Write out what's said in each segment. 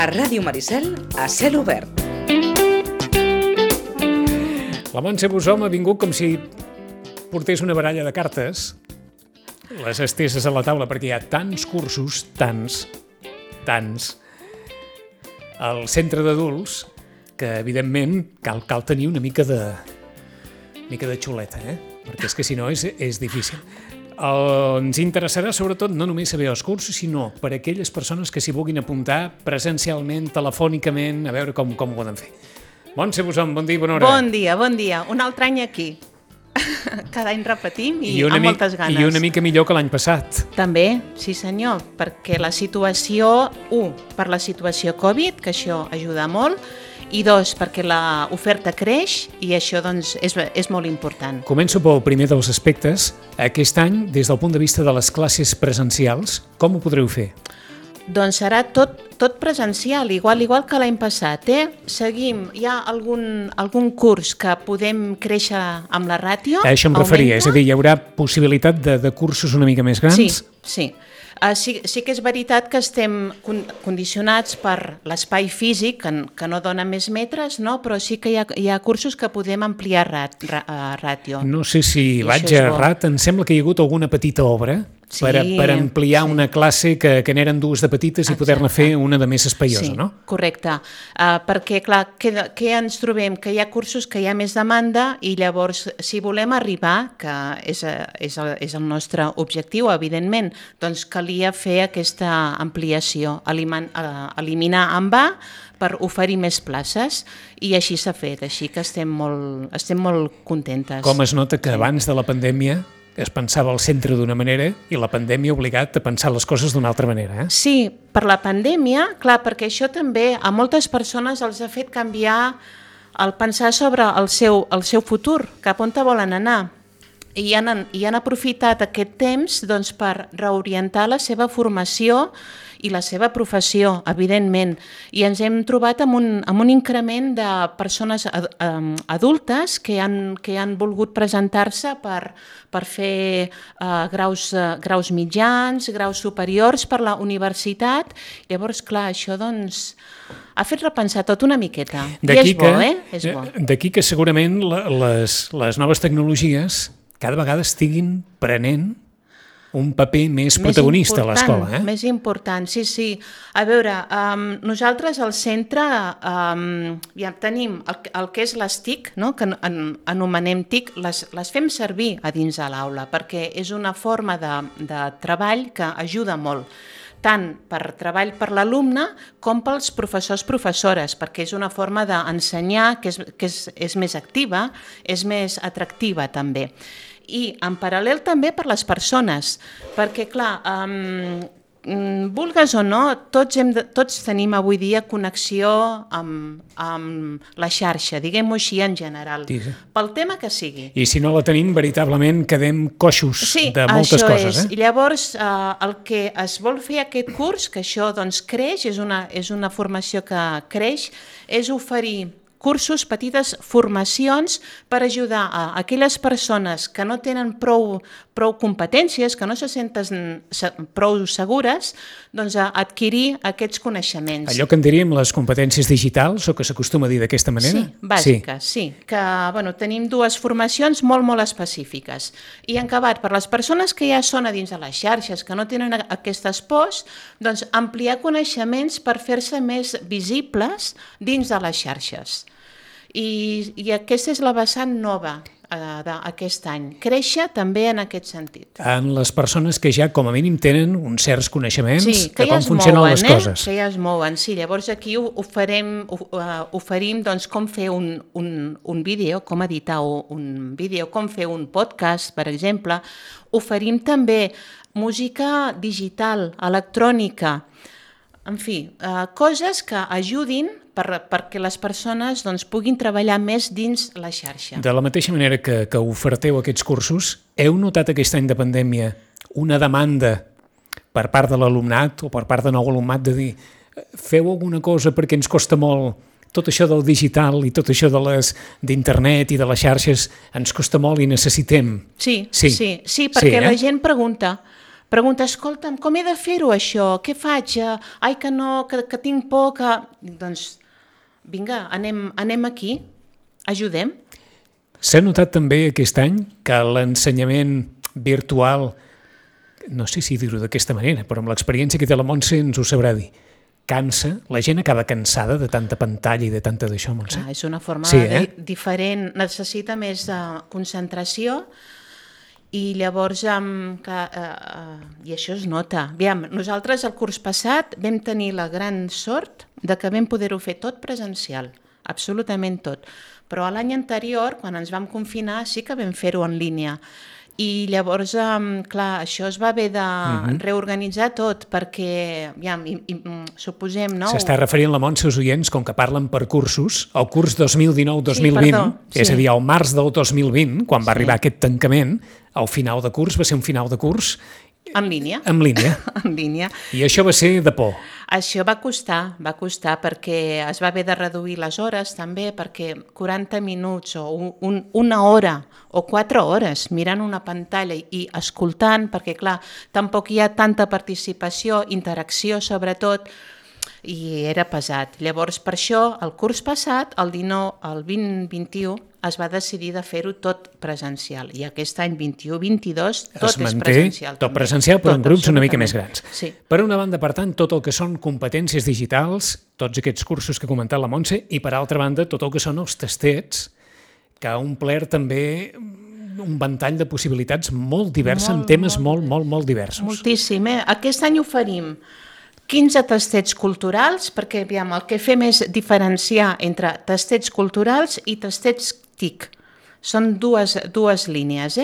A Ràdio Maricel, a cel obert. La Montse Bussom ha vingut com si portés una baralla de cartes, les esteses a la taula, perquè hi ha tants cursos, tants, al centre d'adults, que evidentment cal tenir una mica de xuleta, perquè és que si no és difícil. Ens interessarà sobretot no només saber els cursos, sinó per a aquelles persones que s'hi vulguin apuntar presencialment, telefònicament, a veure com ho poden fer. Montse Bussom, bon dia i bona hora. Bon dia. Un altre any aquí. Cada any repetim i amb moltes ganes. I una mica millor que l'any passat. També, sí senyor, perquè la situació, per la situació Covid, que això ajuda molt, i 2, perquè l'oferta creix i això doncs, és molt important. Començo pel primer dels aspectes. Aquest any, des del punt de vista de les classes presencials, com ho podreu fer? Doncs serà tot presencial, igual que l'any passat. Seguim, hi ha algun curs que podem créixer amb la ràtio. A això em referia, és a dir, hi haurà possibilitat de cursos una mica més grans? Sí. Sí que és veritat que estem condicionats per l'espai físic, que no dona més metres, no? Però sí que hi ha cursos que podem ampliar ràtio. No sé si vaig errat, em sembla que hi ha hagut alguna petita obra per ampliar una classe que n'eren dues de petites i poder-ne fer una de més espaiosa, no? Correcte, perquè clar, què ens trobem? Que hi ha cursos que hi ha més demanda i llavors si volem arribar, que és el nostre objectiu, evidentment, doncs calia fer aquesta ampliació, eliminar en va per oferir més places i així s'ha fet, així que estem molt contentes. Com es nota que abans de la pandèmia es pensava al centre d'una manera i la pandèmia ha obligat a pensar les coses d'una altra manera. Sí, per la pandèmia, clar, perquè això també a moltes persones els ha fet canviar el pensar sobre el seu futur, cap on volen anar. I han aprofitat aquest temps doncs, per reorientar la seva formació i la seva professió, evidentment. I ens hem trobat amb un increment de persones adultes que han volgut presentar-se per fer graus mitjans, graus superiors per la universitat. Llavors, clar, això doncs, ha fet repensar tot una miqueta. I és bo, És bo. D'aquí que segurament les noves tecnologies cada vegada estiguin prenent un paper més protagonista a l'escola. Més important, sí. A veure, nosaltres al centre ja tenim el que és les TIC, no? Que anomenem TIC, les fem servir a dins de l'aula perquè és una forma de treball que ajuda molt, tant per treball per l'alumne com pels professors-professores, perquè és una forma d'ensenyar que és més activa, és més atractiva també. I en paral·lel també per les persones, perquè clar, vulgues o no, tots tenim avui dia connexió amb la xarxa, diguem-ho així en general, pel tema que sigui. I si no la tenim, veritablement quedem coixos de moltes coses. I llavors el que es vol fer aquest curs, que això doncs creix, és una formació que creix, és oferir cursos, petites formacions per ajudar a aquelles persones que no tenen prou competències, que no se senten prou segures, doncs a adquirir aquests coneixements. Allò que en diríem les competències digitals, o que s'acostuma a dir d'aquesta manera? Sí, bàsiques, sí. Que tenim dues formacions molt específiques. I en acabat, per les persones que ja són a dins de les xarxes, que no tenen aquestes pors, doncs ampliar coneixements per fer-se més visibles dins de les xarxes. I aquesta és la vessant nova d'aquest any. Créixer també en aquest sentit. En les persones que ja com a mínim tenen uns certs coneixements de com funcionen les coses. Que ja es mouen, sí. Llavors aquí oferim doncs, com fer un vídeo, com editar un vídeo, com fer un podcast, per exemple. Oferim també música digital, electrònica, en fi, coses que ajudin perquè les persones puguin treballar més dins la xarxa. De la mateixa manera que oferteu aquests cursos, heu notat aquest any de pandèmia una demanda per part de l'alumnat o per part de nou alumnat de dir feu alguna cosa perquè ens costa molt tot això del digital i tot això d'internet i de les xarxes ens costa molt i necessitem? Sí, perquè la gent pregunta pregunta, escolta'm, com he de fer-ho això? Què faig? Ai, que no, que tinc por, que... Doncs, vinga, anem aquí, ajudem. S'ha notat també aquest any que l'ensenyament virtual, no sé si dir-ho d'aquesta manera, però amb l'experiència que té la Montse ens ho sabrà dir, cansa, la gent acaba cansada de tanta pantalla i de tanta d'això, Montse. Clar, és una forma Sí, diferent, necessita més concentració i llavors i això es nota. Aviam, nosaltres el curs passat vam tenir la gran sort de que vam poder-ho fer tot presencial, absolutament tot. Però l'any anterior, quan ens vam confinar, sí que vam fer-ho en línia. I llavors, clar, això es va haver de reorganitzar tot perquè, suposem, no? S'està referint la Montse als oients, com que parlen per cursos, el curs 2019-2020, és a dir, al març del 2020, quan va arribar aquest tancament, el final de curs va ser un final de curs en línia. En línia. En línia. I això va ser de por. Això va costar perquè es va haver de reduir les hores també, perquè 40 minuts o una hora o 4 hores mirant una pantalla i escoltant, perquè clar, tampoc hi ha tanta participació, interacció sobretot, i era pesat. Llavors, per això, el curs passat, el 2021, es va decidir de fer-ho tot presencial. I aquest any 21-22 tot és presencial. Tot presencial, però en grups una mica més grans. Sí. Per una banda, per tant, tot el que són competències digitals, tots aquests cursos que ha comentat la Montse, i per altra banda, tot el que són els tastets, que ha omplert també un ventall de possibilitats molt divers, amb temes molt diversos. Moltíssim. Aquest any oferim 15 tastets culturals, perquè el que fem és diferenciar entre tastets culturals i tastets TIC. Són dues línies.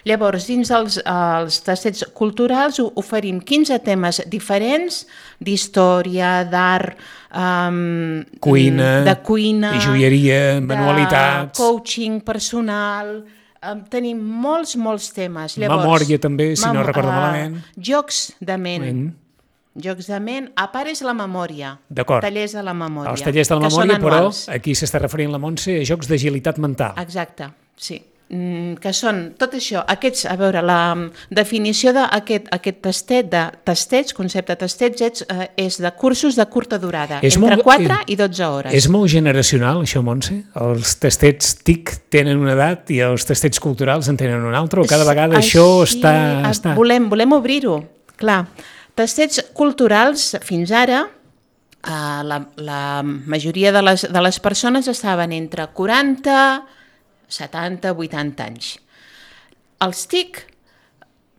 Llavors, dins els tastets culturals oferim 15 temes diferents d'història, d'art, de cuina, i joieria, manualitats, de coaching personal. Tenim molts temes. Llavors, memòria també, si no recordo malament. Jocs de ment. Jocs de ment, a part és la memòria. D'acord. Tallers de la memòria. Els tallers de la memòria, però aquí s'està referint la Montse a jocs d'agilitat mental. Exacte, sí. Que són tot això, a veure, la definició d'aquest tastet, de tastets, concepte de tastets, és de cursos de curta durada, entre 4 i 12 hores. És molt generacional, això, Montse? Els tastets TIC tenen una edat i els tastets culturals en tenen una altra, o cada vegada això està... Volem obrir-ho, clar. Tastets culturals, fins ara, la majoria de les persones estaven entre 40, 70, 80 anys. Els TIC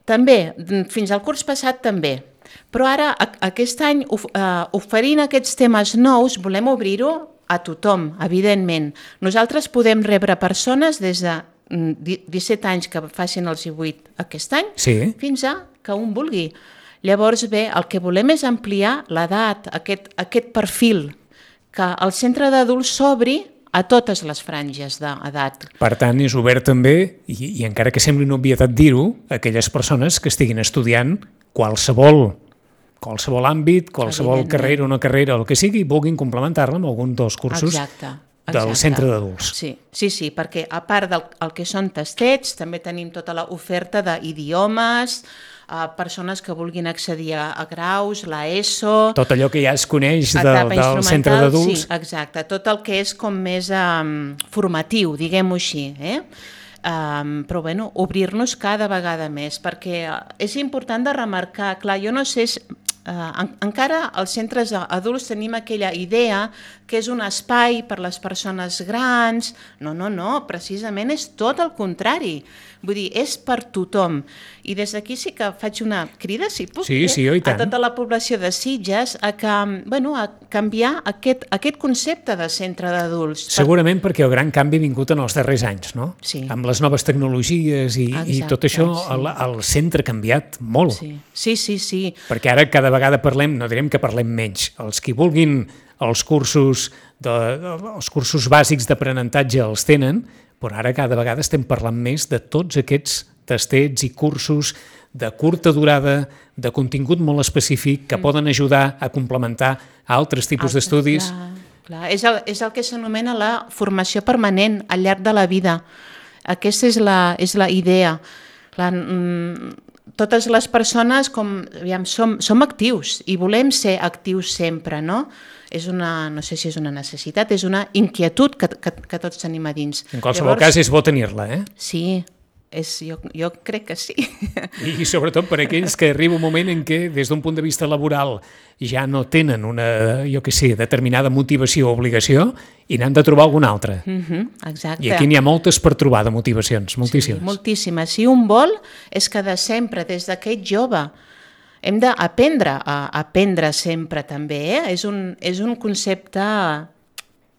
també, fins al curs passat també, però ara aquest any oferint aquests temes nous volem obrir-ho a tothom, evidentment. Nosaltres podem rebre persones des de 17 anys que facin els 18 aquest any, fins a que un vulgui. Llavors, bé, el que volem és ampliar l'edat, aquest perfil, que el centre d'adults s'obri a totes les franges d'edat. Per tant, és obert també, i encara que sembli una obvietat dir-ho, a aquelles persones que estiguin estudiant qualsevol àmbit, qualsevol carrera o no carrera, el que sigui, vulguin complementar-la amb algun dels cursos del centre d'adults. Sí, perquè a part del que són tastets, també tenim tota l'oferta d'idiomes, persones que vulguin accedir a graus, l'ESO... Tot allò que ja es coneix del centre d'adults. Sí, exacte, tot el que és com més formatiu, diguem-ho així. Però bueno, obrir-nos cada vegada més, perquè és important de remarcar, clar, jo no sé... encara als centres adults tenim aquella idea que és un espai per les persones grans. No, precisament és tot el contrari. Vull dir, és per tothom. I des d'aquí sí que faig una crida, si puc, a tota la població de Sitges a canviar aquest concepte de centre d'adults. Segurament perquè el gran canvi ha vingut en els darrers anys, no? Sí. Amb les noves tecnologies i tot això, el centre ha canviat molt. Sí. Perquè ara cada vegada parlem, no direm que parlem menys, els que vulguin els cursos bàsics d'aprenentatge els tenen, però ara cada vegada estem parlant més de tots aquests tastets i cursos de curta durada, de contingut molt específic, que poden ajudar a complementar altres tipus d'estudis. Clar. És el que s'anomena la formació permanent al llarg de la vida. Aquesta és la idea. Clar, totes les persones som actius i volem ser actius sempre, no? No sé si és una necessitat, és una inquietud que tots tenim a dins. En qualsevol cas és bo tenir-la, Sí, jo crec que sí. I sobretot per aquells que arriba un moment en què des d'un punt de vista laboral ja no tenen una, determinada motivació o obligació i n'han de trobar alguna altra. Exacte. I aquí n'hi ha moltes per trobar de motivacions, moltíssimes. Sí, moltíssimes. Si un vol és que de sempre, des d'aquest jove, hem d'aprendre a aprendre sempre també. És un concepte,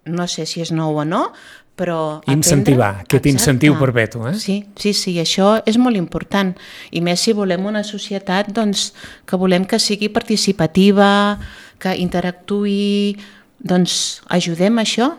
no sé si és nou o no, però incentivar, aquest incentiu perpetu. Sí, això és molt important. I més si volem una societat que volem que sigui participativa, que interactuï, doncs ajudem això.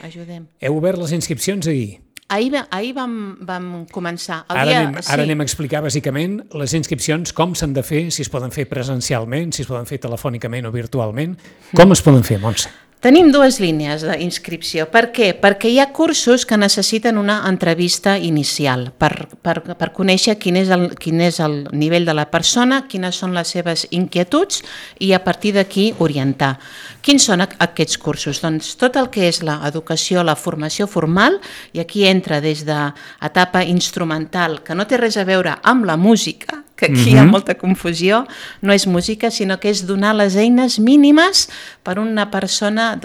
Ajudem. Heu obert les inscripcions ahir? Ahir vam començar. Ara anem a explicar bàsicament les inscripcions, com s'han de fer, si es poden fer presencialment, si es poden fer telefònicament o virtualment. Com es poden fer, Montse? Tenim dues línies d'inscripció. Per què? Perquè hi ha cursos que necessiten una entrevista inicial per conèixer quin és el nivell de la persona, quines són les seves inquietuds i a partir d'aquí orientar. Quins són aquests cursos? Doncs tot el que és l'educació, la formació formal, i aquí entra des d'etapa instrumental, que no té res a veure amb la música, que aquí hi ha molta confusió, no és música, sinó que és donar les eines mínimes per una persona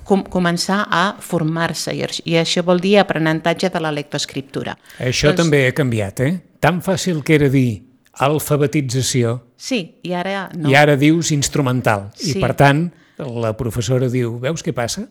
començar a formar-se, i això vol dir aprenentatge de la lectoescriptura. Això també ha canviat, Tan fàcil que era dir alfabetització, sí, i ara no. I ara dius instrumental, i per tant la professora diu, veus què passa?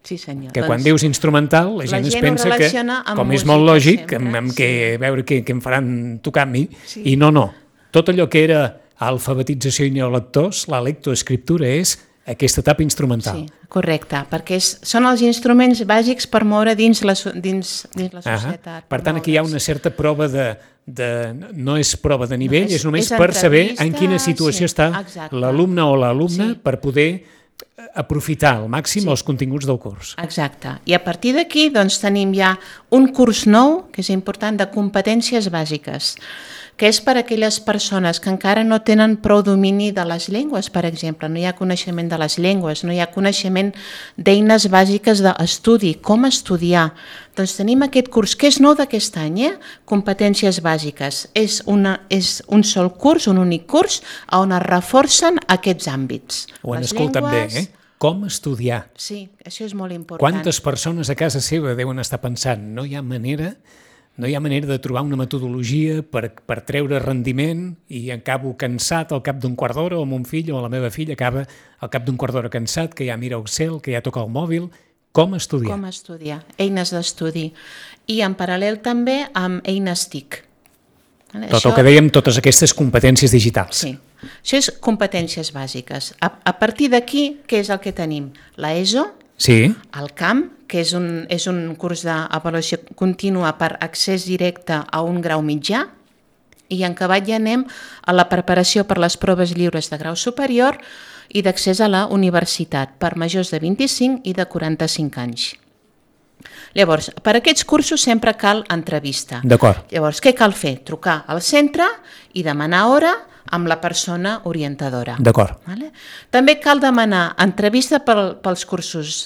Sí, senyor. Que quan dius instrumental, la gent es pensa que, com és molt lògic, amb veure què em faran tocar a mi, i no. Tot allò que era alfabetització i neolectors, la lectoescriptura és aquesta etapa instrumental. Sí, correcte, perquè són els instruments bàsics per moure dins la societat. Per tant, aquí hi ha una certa prova no és prova de nivell, és només per saber en quina situació està l'alumne o l'alumna per poder aprofitar al màxim els continguts del curs. Exacte. I a partir d'aquí tenim ja un curs nou, que és important, de competències bàsiques, que és per a aquelles persones que encara no tenen prou domini de les llengües, per exemple. No hi ha coneixement de les llengües, no hi ha coneixement d'eines bàsiques d'estudi, com estudiar. Doncs tenim aquest curs, que és nou d'aquest any, competències bàsiques. És un sol curs, un únic curs, on es reforcen aquests àmbits. Ho han escoltat bé, Com estudiar. Sí, això és molt important. Quantes persones a casa seva deuen estar pensant, no hi ha manera de trobar una metodologia per treure rendiment i acabo cansat al cap d'un quart d'hora, o mon fill o la meva filla acaba al cap d'un quart d'hora cansat, que ja mira Excel, que ja toca el mòbil. Com estudiar? Com estudiar, eines d'estudi. I en paral·lel també amb eines TIC. Tot el que dèiem, totes aquestes competències digitals. Sí, això és competències bàsiques. A partir d'aquí, què és el que tenim? L'ESO, el CAM, que és un curs d'avaluació contínua per accés directe a un grau mitjà, i en acabat ja anem a la preparació per les proves lliures de grau superior i d'accés a la universitat per majors de 25 i de 45 anys. Llavors, per a aquests cursos sempre cal entrevista. D'acord. Llavors, què cal fer? Trucar al centre i demanar hora amb la persona orientadora. D'acord. També cal demanar entrevista pels cursos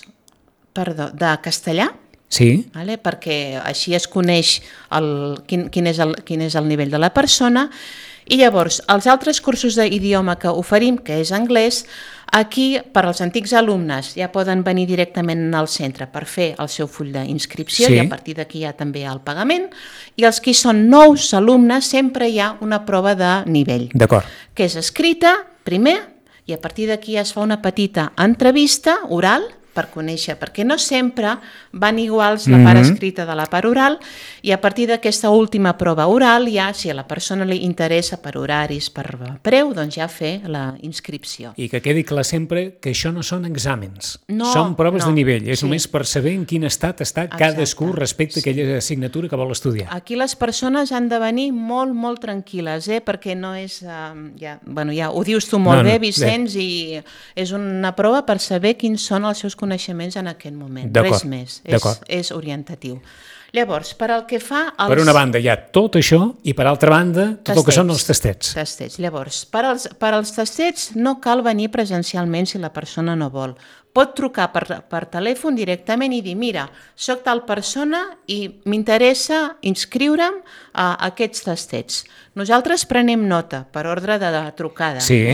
de castellà, perquè així es coneix quin és el nivell de la persona. I llavors, els altres cursos d'idioma que oferim, que és anglès, aquí, per als antics alumnes, ja poden venir directament al centre per fer el seu full d'inscripció, i a partir d'aquí hi ha també el pagament, i els que són nous alumnes sempre hi ha una prova de nivell, que és escrita primer, i a partir d'aquí es fa una petita entrevista oral per conèixer, perquè no sempre van iguals la part escrita de la part oral, i a partir d'aquesta última prova oral, ja, si a la persona li interessa per horaris, per preu, doncs ja fer la inscripció. I que quedi clar sempre que això no són exàmens, són proves de nivell, és només per saber en quin estat està cadascú respecte a aquella assignatura que vol estudiar. Aquí les persones han de venir molt, molt tranquil·les, perquè no és... Ja ho dius tu molt bé, Vicenç, i és una prova per saber quins són els seus coneixements en aquest moment, res més, és orientatiu. Llavors, per al que fa als... Per una banda hi ha tot això i per altra banda tot el que són els tastets. Llavors, per als tastets no cal venir presencialment si la persona no vol. Pot trucar per telèfon directament i dir, mira, soc tal persona i m'interessa inscriure'm a aquests tastets. Nosaltres prenem nota per ordre de trucada. Sí.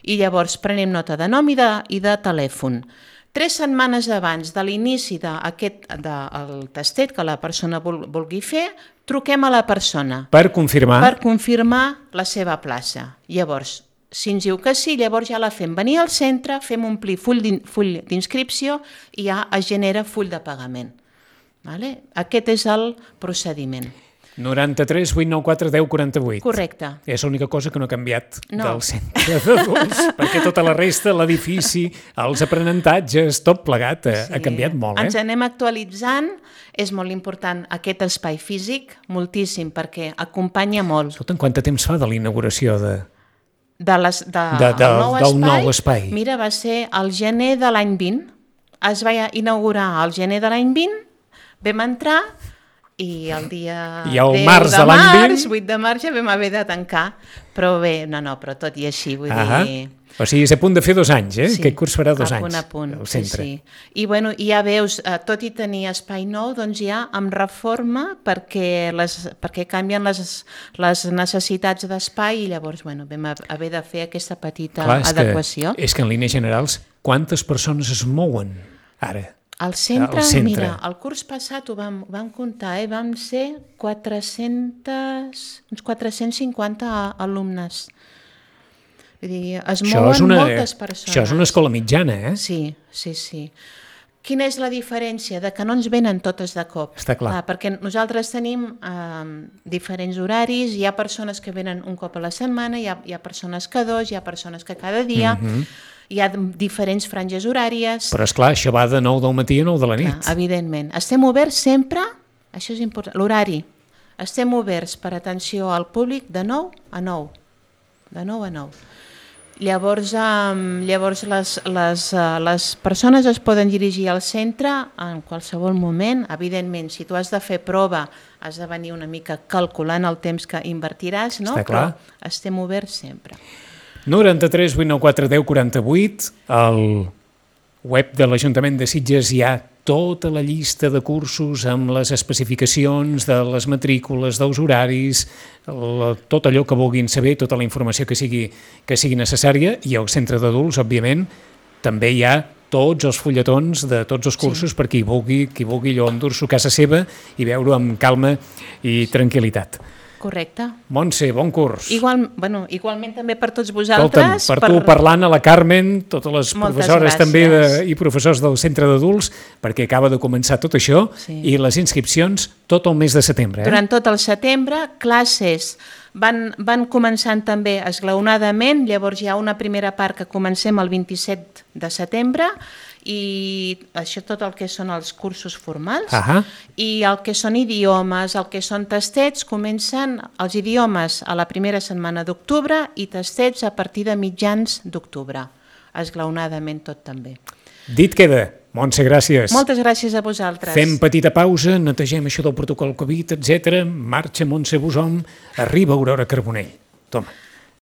I llavors prenem nota de nom i de telèfon. 3 setmanes abans de l'inici del tastet que la persona vulgui fer, truquem a la persona. Per confirmar. Per confirmar la seva plaça. Llavors, si ens diu que sí, llavors ja la fem venir al centre, fem omplir full d'inscripció i ja es genera full de pagament. Vale? Aquest és el procediment. 93 894 10 48. Correcte. És l'única cosa que no ha canviat del centre d'adults, perquè tota la resta, l'edifici, els aprenentatges, tot plegat ha canviat molt. Ens anem actualitzant, és molt important aquest espai físic, moltíssim, perquè acompanya molt. Escolta'm, quant de temps fa de la inauguració del nou espai? Mira, va ser el gener de l'any 20, es va inaugurar el gener de l'any 20, vam entrar i el dia 10 de març, 8 de març ja vam haver de tancar, però bé, però tot i així, vull dir... O sigui, és a punt de fer 2 anys, eh? Sí, aquest curs farà 2 anys. A punt, al centre. Sí. I bueno, ja veus, tot i tenir espai nou, doncs ja amb reforma perquè canvien les necessitats d'espai i llavors, bueno, vam haver de fer aquesta petita adequació. És que en línies generals, quantes persones es mouen ara? Al centre, mira, el curs passat ho vam comptar, vam ser uns 450 alumnes. Vull dir, es mouen moltes persones. Això és una escola mitjana, eh? Sí. Quina és la diferència? Que no ens venen totes de cop. Està clar. Perquè nosaltres tenim diferents horaris, hi ha persones que venen un cop a la setmana, hi ha persones que 2, hi ha persones que cada dia... Hi ha diferents franges horàries... Però esclar, això va de 9 del matí a 9 de la nit. Clar, evidentment. Estem oberts sempre, això és important, l'horari. Estem oberts per atenció al públic de 9 a 9. De 9 a 9. Llavors les persones es poden dirigir al centre en qualsevol moment. Evidentment, si tu has de fer prova, has de venir una mica calculant el temps que invertiràs, no? Està clar. Però estem oberts sempre. 93 894 10 48, al web de l'Ajuntament de Sitges hi ha tota la llista de cursos amb les especificacions de les matrícules, dels horaris, tot allò que vulguin saber, tota la informació que sigui necessària, i al centre d'adults, òbviament, també hi ha tots els fulletons de tots els cursos per qui vulgui allò endur-s'ho a casa seva i veure-ho amb calma i tranquil·litat. Correcte. Montse, bon curs. Igualment també per tots vosaltres. Per tu parlant a la Carmen, totes les professores també i professors del centre d'adults, perquè acaba de començar tot això, i les inscripcions tot el mes de setembre. Durant tot el setembre, classes van començant també esglaonadament, llavors hi ha una primera part que comencem el 27 de setembre, i això tot el que són els cursos formals, i el que són idiomes, el que són tastets, comencen els idiomes a la primera setmana d'octubre i tastets a partir de mitjans d'octubre, esglaonadament tot també. Dit queda. Montse, gràcies. Moltes gràcies a vosaltres. Fem petita pausa, netegem això del protocol Covid, etc. Marxa Montse Busom, arriba Aurora Carbonell. Toma.